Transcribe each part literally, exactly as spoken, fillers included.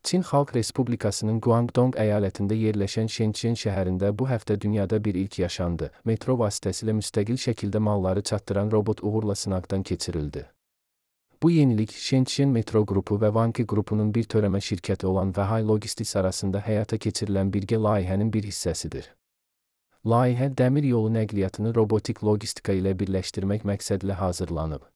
Çin Xalq Respublikasının Guangdong əyalətində yerləşən Shenzhen şəhərində bu həftə dünyada bir ilk yaşandı. Metro vasitəsilə müstəqil şəkildə malları çatdıran robot uğurla sınaqdan keçirildi. Bu yenilik Shenzhen Metro Qrupu və Vanke Qrupunun bir törəmə şirkəti olan Vəhay Logistics arasında həyata keçirilən birgə layihənin bir hissəsidir. Layihə dəmir yolu nəqliyyatını robotik logistika ilə birləşdirmək məqsədlə hazırlanıb.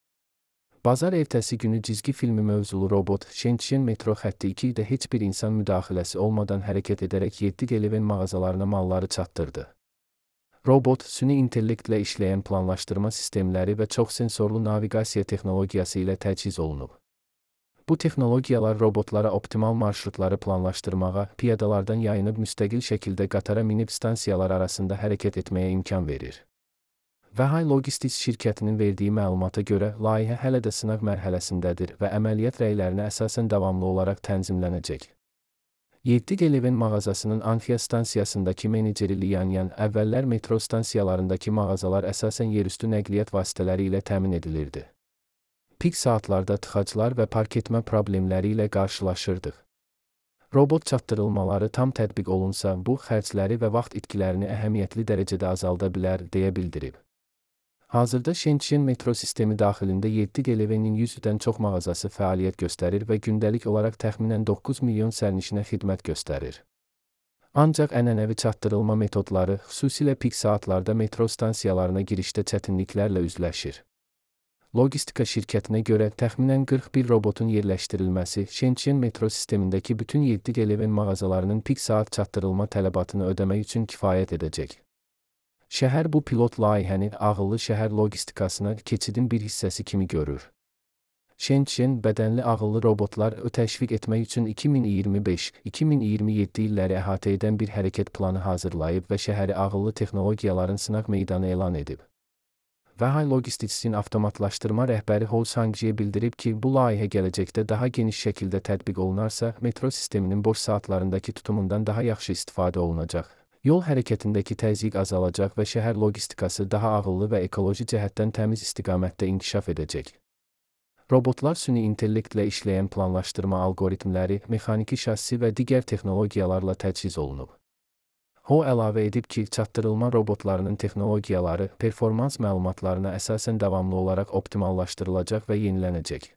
Bazar ertəsi günü cizgi filmi mövzulu robot Shenzhen metro xətti iki də heç bir insan müdaxiləsi olmadan hərəkət edərək yeddi Geleven mağazalarına malları çatdırdı. Robot, süni intellektlə işləyən planlaşdırma sistemləri və çox sensorlu naviqasiya texnologiyası ilə təchiz olunub. Bu texnologiyalar robotlara optimal marşrutları planlaşdırmağa, piyadalardan yayınıb müstəqil şəkildə qatara minib stansiyalar arasında hərəkət etməyə imkan verir. Vəhay Logistics şirkətinin verdiyi məlumata görə, layihə hələ də sınaq mərhələsindədir və əməliyyat rəylərinə əsasən davamlı olaraq tənzimlənəcək. yeddi Geleven mağazasının Anxia stansiyasındakı meneceri Liyan Yan, əvvəllər metro stansiyalarındakı mağazalar əsasən yerüstü nəqliyyat vasitələri ilə təmin edilirdi. Pik saatlarda tıxaclar və park etmə problemləri ilə qarşılaşırdıq. Robot çatdırılmaları tam tətbiq olunsa, bu xərcləri və vaxt itkilərini əhəmiyyətli dərəcədə azalda bilər, deyə bildirib. Hazırda Shenzhen metro sistemi daxilində yeddi Gelevenin yüzdən çox mağazası fəaliyyət göstərir və gündəlik olaraq təxminən doqquz milyon sərnişinə xidmət göstərir. Ancaq ənənəvi çatdırılma metodları, xüsusilə pik saatlarda metro stansiyalarına girişdə çətinliklərlə üzləşir. Logistika şirkətinə görə təxminən qırx bir robotun yerləşdirilməsi Shenzhen metro sistemindəki bütün yeddi Geleven mağazalarının pik saat çatdırılma tələbatını ödəmək üçün kifayət edəcək. Şəhər bu pilot layihəni ağıllı şəhər logistikasına keçidin bir hissəsi kimi görür. Shenzhen bədənli ağıllı robotları təşviq etmək üçün iki min iyirmi beş iki min iyirmi yeddi illəri əhatə edən bir hərəkət planı hazırlayıb və şəhəri ağıllı texnologiyaların sınaq meydanı elan edib. Vəhay Logisticsin avtomatlaşdırma rəhbəri Hou Sangjiye bildirib ki, bu layihə gələcəkdə daha geniş şəkildə tətbiq olunarsa, metro sisteminin boş saatlarındakı tutumundan daha yaxşı istifadə olunacaq. Yol hərəkətindəki təzyiq azalacaq və şəhər logistikası daha ağıllı və ekoloji cəhətdən təmiz istiqamətdə inkişaf edəcək. Robotlar süni intellektlə işləyən planlaşdırma algoritmləri, mexaniki şassi və digər texnologiyalarla təchiz olunub. Ho əlavə edib ki, çatdırılma robotlarının texnologiyaları, performans məlumatlarına əsasən davamlı olaraq optimallaşdırılacaq və yenilənəcək.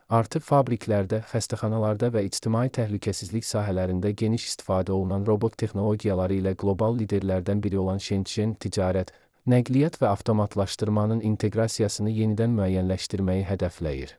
Artıq fabriklərdə, xəstəxanalarda və ictimai təhlükəsizlik sahələrində geniş istifadə olunan robot texnologiyaları ilə qlobal liderlərdən biri olan Shenzhen ticarət, nəqliyyat və avtomatlaşdırmanın inteqrasiyasını yenidən müəyyənləşdirməyi hədəfləyir.